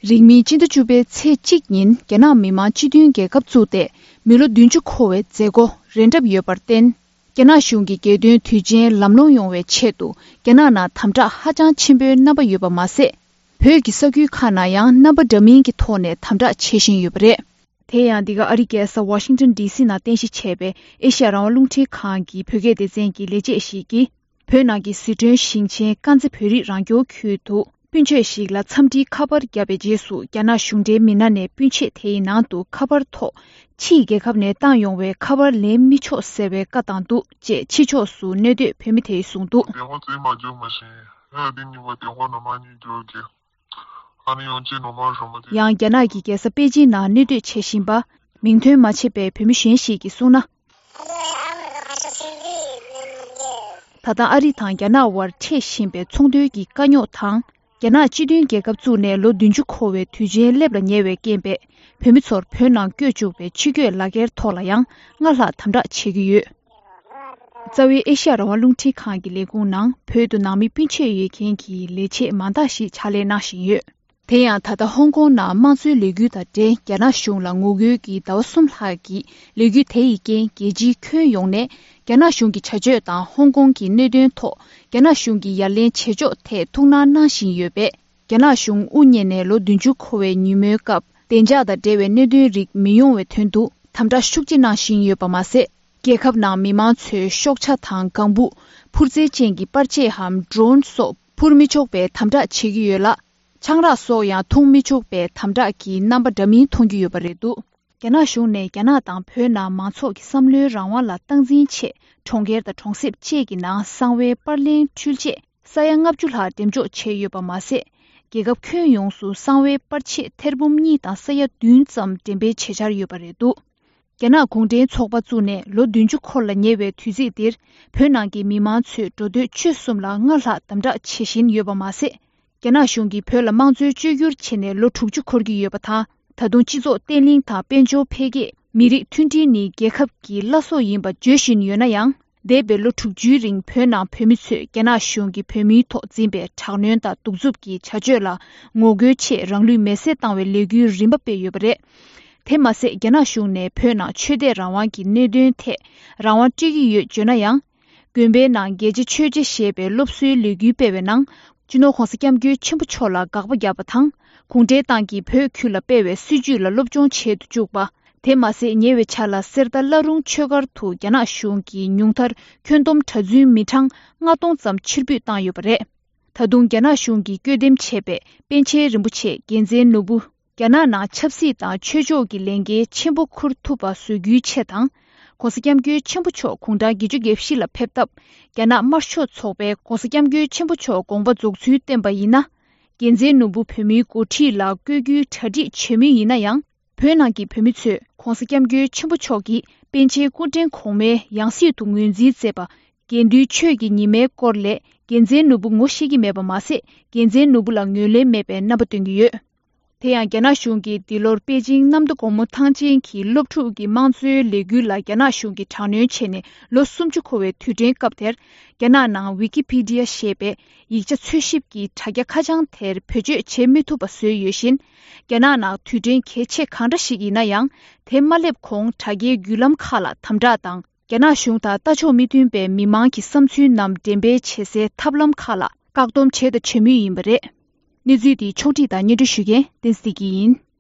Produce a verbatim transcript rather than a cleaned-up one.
རིང་མིན་སྤྱི་ཟླ་བཅུ་པའི་ཚེས་གཅིག་ཉིན་རྒྱ་ནག་མི་དམངས་སྤྱི་མཐུན་རྒྱལ་ཁབ་བཙུགས་ཏེ་མི་ལོ་བདུན་ཅུ་འཁོར་བའི་མཛད་སྒོ་རན་གྲབས་ཡོད་པར་བརྟེན། རྒྱ་ནག་གཞུང་གི་རྒྱལ་དོན་དུས་ཆེན་ལམ་ལྷོང་ཡོང་བའི་ཆེད་དུ་རྒྱ་ནག་ནང་དམ་དྲག་ཧ་ཅང་ཆེན་པོའི་རྣམ་པ་ཡོད་པ་མ་ཟད། བོད་ཀྱི་ས་ཁུལ་ཁག་ནང་ཡང་རྣམ་པ་འདྲ་མིན་གྱི་ཐོག་ནས་དམ་དྲག་བྱེད་བཞིན་ཡོད་པ་རེད། དེ་ཡང་འདི་ག་ཨ་རིའི་རྒྱལ་ས་ཝ་ཤིང་ཊོན་ཌི་སི་ནང་རྟེན་གཞི་བྱས་པའི་ཨེ་ཤ་ཡ་རང་དབང་རླུང་འཕྲིན་ཁང་གི་བོད་སྐད་སྡེ་ཚན་གྱི་ལས་བྱེད་ཞིག་གིས། བོད་ནང་གི་ཟི་ཁྲོན་ཞིང་ཆེན་དཀར་མཛེས་བོད་རིགས་རང་སྐྱོང་ཁུལ་དུ་སྤུན་མཆེད་ཞིག་ལ་འཚམས་འདྲིའི་ཁ་པར་བརྒྱབ་པའི་རྗེས་སུ། རྒྱ་ནག་གཞུང་འབྲེལ་མི་སྣ་ནས་སྤུན་མཆེད་དེའི་ནང་དུ་ཁ་པར་ཐོག་ཕྱིའི་རྒྱལ་ཁབ་ནས་བཏང་ཡོང་བའི་ཁ་པར་ལེན་མི་ཆོག་ཟེར་བའི་བཀའ་བཏང་འདུག་ཅེས་ཕྱི་ཕྱོགས་སུ་གནས་སྡོད་བོད་མི་དེས་གསུངས་འདུག། 电话直接骂就没事，还有的你把电话那么你就给，还能用这种骂什么的？ ཡང་རྒྱ་ནག་གི་རྒྱལ་ས་པེ་ཅིང་ནང་གནས་སྡོད་བྱེད་བཞིན་པ། མིང་འདོན་མ་བྱས་པའི་བོད་མི་གཞན་ཞིག་གིས་གསུངས་ན། ད་ལྟ་ཨ་རི་དང་རྒྱ་ནག་དབར་འཕྲད་བཞིན་པའི་ཚོང་དོན་གྱི་དཀའ་རྙོག་དང་། རྒྱ་ནག་སྤྱི་མཐུན་རྒྱལ་ཁབ་བཙུགས་ནས་ལོ་བདུན་ཅུ་འཁོར་བའི་དུས་ཆེན་སླེབས་ལ་ཉེ་བའི་རྐྱེན་པས། བོད་མི་ཚོར་བོད་ནང་བསྐྱོད་བཅུག་པའི་ཕྱི་སྐྱོད་ལག་འཁྱེར་ཐོག་ལ་ཡང་སྔར་ལྷག་དམ་དྲག་བྱེད་ཀྱི་ཡོད། རྩ་བའི་ཨེ་ཤ་ཡ་རང་དབང་རླུང་འཕྲིན་ཁང་གི་ལས་ཁུངས་ནང་བོད་དུ་ནང་མི་སྤུན་མཆེད་ཡོད་མཁན་གྱི་ལས་བྱེད་མང་དག་ཞིག་ཕྱག་ལས་གནང་བཞིན་ཡོད། དེ་ཡང་ད་ལྟ་ཧོང་ཀོང་ནང་དམངས་གཙོའི་ལས་འགུལ་དང་འབྲེལ་རྒྱ་ནག་གཞུང་ལ་ངོ་རྒོལ་གྱི་ཟླ་བ་གསུམ་ལྷག་གི་ལས་འགུལ་དེ་ཡི་རྐྱེན། རྒྱལ་སྤྱིའི་ཁྱོན་ཡོངས་ནས་རྒྱ་ནག་གཞུང་གི་བྱ་སྤྱོད་དང་ཧོང་ཀོང་གི་གནད་དོན་ཐོག་རྒྱ་ནག་གཞུང་གིས་ཡ་ལན་བྱེད་ཕྱོགས་ཐད་ཐུགས་སྣང་གནང་བཞིན་ཡོད་པས། རྒྱ་ནག་གཞུང་དབུ་བརྙེས་ནས་ལོ་བདུན་ཅུ་འཁོར་བའི་ཉིན་མོའི་སྐབས། བདེ་འཇགས་དང་འབྲེལ་བའི་གནད་དོན་རིགས་མི་ཡོང་བའི་དོན་དུ་དམ་དྲག་ཤུགས་ཆེ་གནང་བཞིན་ཡོད་པ་མ་ཟད། རྒྱལ་ཁབ་ནང་མི་མང་ཚོའི་ཤོག་ཆ་དང་ལྒང་བུ། འཕུར་རྩལ་ཅན་གྱི་པར་ཆས་འམ་ཌོ་རོན་སོགས་འཕུར་མི་ཆོག་པའི་དམ་དྲག་བྱེད་ཀྱི་ཡོད་ལ། ཆང་རག་སོགས་ཡང་འཐུང་མི་ཆོག་པའི་དམ་དྲག་གི་རྣམ་པ་འདྲ་མིན་མཐོང་རྒྱུ་ཡོད་པ་རེད་འདུག། རྒྱ་ནག་གཞུང་ནས་རྒྱ་ནག་དང་བོད་ནང་མང་ཚོགས་ཀྱི་བསམ་བློའི་རང་དབང་ལ་སྟངས་འཛིན་ཆེད། གྲོང་ཁྱེར་དང་གྲོང་གསེབ་བཅས་ཀྱི་ནང་གསང་བའི་པར་ལེན་འཕྲུལ་ཆས་ས་ཡ་ལྔ་བཅུ་ལྷག་འགྲེམས་འཇོག་བྱས་ཡོད་པ་མ་ཟད། རྒྱལ་ཁབ་ཁྱོན་ཡོངས་སུ་གསང་བའི་པར་ཆས་ཐེར་འབུམ་གཉིས་དང་ས་ཡ་བདུན་ཙམ་འགྲེམས་སྤེལ་བྱེད་འཆར་ཡོད་པ་རེད་འདུག། རྒྱ་ནག་གུང་ཁྲན་ཚོགས་པ་བཙུགས་ནས་ལོ་བདུན་ཅུ་འཁོར་ལ་ཉེ་བའི་དུས་ཚིགས་འདིར། བོད་ནང་གི་མི་མང་ཚོས་འགྲོ་སྡོད་སྤྱོད་གསུམ་ལ་སྔར་ལྷག་དམ་དྲག་བྱེད་བཞིན་ཡོད་པ་མ་ཟད། རྒྱ་ནག་གཞུང་གིས་བོད་ལ་དམངས་གཙོའི་བཅོས་བསྒྱུར་བྱས་ནས་ལོ་དྲུག་ཅུ་འཁོར་གྱི་ཡོད་པ་དང་། ད་དུང་སྤྱི་ཚོགས་བརྟན་ལྷིང་དང་དཔལ་འབྱོར་འཕེལ་རྒྱས། མི་རིགས་མཐུན་སྒྲིལ་ནི་རྒྱལ་ཁབ་ཀྱི་བླ་སྲོག་ཡིན་པ་བརྗོད་བཞིན་ཡོད་ན་ཡང་། འདས་པའི་ལོ་དྲུག་ཅུའི་རིང་བོད་ནང་བོད་མི་ཚོས་རྒྱ་ནག་གཞུང་གིས་བོད་མིའི་ཐོག་འཛིན་པའི་དྲག་གནོན་དང་གདུག་རྩུབ་ཀྱི་བྱ་སྤྱོད་ལ་ངོ་རྒོལ་ཆེད་རང་ལུས་མེར་སྲེག་བཏང་བའི་ལས་འགུལ་རིམ་པ་སྤེལ་ཡོད་པ་རེད། དེ་མ་ཟད། རྒྱ་ནག་གཞུང་ནས་བོད་ནང་ཆོས་དད་རང་དབང་གི་གནད་དོན་ཐད་རང་དབང་སྤྲད་ཀྱི་ཡོད་བརྗོད་ན་ཡང་། དགོན་པའི་ནང་རྒྱལ་གཅེས་ཆོས་གཅེས་ཞེས་པའི་སློབ་གསོའི་ལས་འགུལ་སྤེལ་བའི་ནང་། སྤྱི་ནོར་༧གོང་ས་༧སྐྱབས་མགོན་ཆེན་པོ་མཆོག་ལ་དགག་པ་བརྒྱབ་པ་དང་། གུང་ཁྲན་ཏང་གིས་བོད་ཁུལ་ལ་སྤེལ་བའི་སྲིད་བྱུས་ལ་སློབ་སྦྱོང་བྱེད་དུ་བཅུག་པ། དེ་མ་ཟད། ཉེ་བའི་ཆར་ལ་གསེར་རྟ་བླ་རུང་ཆོས་སྒར་དུ་རྒྱ་ནག་གཞུང་གིས་ཉུང་མཐར་ཁྱོན་བསྡོམས་གྲྭ་བཙུན་མི་གྲངས་ལྔ་སྟོང་ཙམ་ཕྱིར་འབུད་བཏང་ཡོད་པ་རེད། ད་དུང་རྒྱ་ནག་གཞུང་གིས་བསྐྱོད་འདེམས་བྱས་པའི་པཎ་ཆེན་རིན་པོ་ཆེ་རྒྱལ་མཚན་ནོར་བུ། རྒྱ་ནག་ནང་ཆབ་སྲིད་དང་ཆོས་ཕྱོགས་ཀྱི་ལས་འགན་ཆེན་པོ་འཁུར་ཐུབ་པ་བཟོ་རྒྱུའི་ཆེད་དང་། ༧གོང་ས་༧སྐྱབས་མགོན་ཆེན་པོ་མཆོག་དགུང་གྲངས་བརྒྱད་ཅུ་གྱ་བཞི་ལ་ཕེབས་སྟབས། རྒྱ་ནག་དམར་ཤོག་ཚོགས་པས་༧གོང་ས་༧སྐྱབས་མགོན་ཆེན་པོ་མཆོག་དགོངས་པ་རྫོགས་ཚུལ་བསྟན་པ་ཡིན་ན། རྒྱལ་མཚན་ནོར་བུ་བོད་མིའི་འགོ་ཁྲིད་ལ་བསྐོ་རྒྱུའི་གྲ་སྒྲིག་བྱེད་མུས་ཡིན་ན་ཡང་། བོད་ནང་གི་བོད་མི་ཚོས་༧གོང་ས་༧སྐྱབས་མགོན་ཆེན་པོ་མཆོག་གིས་པཎ་ཆེན་སྐུ་ཕྲེང་གོང་མའི་ཡང་སྲིད་དུ་ངོས་འཛིན་མཛད་པ། དགེ་འདུན་ཆོས་ཀྱི་ཉི་མའི་སྐོར་ལས་རྒྱལ་མཚན་ནོར་བུ་ངོ་ཤེས་ཀྱི་མེད་པ་མ་ཟད། རྒྱལ་མཚན་ནོར་བུ་ལ་ངོས་ལེན་མེད་པའི་རྣམ་པ་སྟོན་གྱི་ཡོད། དེ་ཡང་རྒྱ་ནག་གཞུང་གིས་འདི་ལོར་པེ་ཅིང་གནམ་མདོ་སྒོ་མོ་ཐང་ཆེན་གྱི་སློབ་ཕྲུག་གི་དམངས་གཙོའི་ལས་འགུལ་ལ་རྒྱ་ནག་གཞུང་གིས་དྲག་གནོན་བྱས་ནས་ལོ་སུམ་ཅུ་འཁོར་བའི་དུས་དྲན་སྐབས་དེར། རྒྱ་ནག་ནང་ཝི་ཀི་ཕི་ཌི་ཡ་ཞེས་པའི་ཡིག་ཆ་འཚོལ་ཞིབ་ཀྱི་དྲ་རྒྱ་ཁ་བྱང་དེར་བེད་སྤྱོད་བྱེད་མི་ཐུབ་པ་བཟོས་ཡོད་བཞིན། རྒྱ་ནག་ནང་དུས་དྲན་གལ་ཆེ་གང་འདྲ་ཞིག་ཡིན་ན་ཡང་། དེ་མ་སླེབས་གོང་དྲ་རྒྱའི་བརྒྱུད་ལམ་ཁག་ལ་དམ་དྲག་དང་། རྒྱ་ནག་གཞུང་དང་ལྟ་ཕྱོགས་མི་མཐུན་པའི་མི་མང་གི་བསམ་ཚུལ་རྣམས་འགྲེམས་སྤེལ་བྱེད་སའི་ཐབས་ལམ་ཁག་ལ་བཀག་སྡོམ་བྱས་དང་བྱེད་མུས་ཡིན་པ་རེད། གནས་ཚུལ་འདི་ཕྱོགས་སྒྲིག་དང་སྙན་སྒྲོན་ཞུ་མཁན་བསྟན་འཛིན་བདེ་སྐྱིད་ཡིན།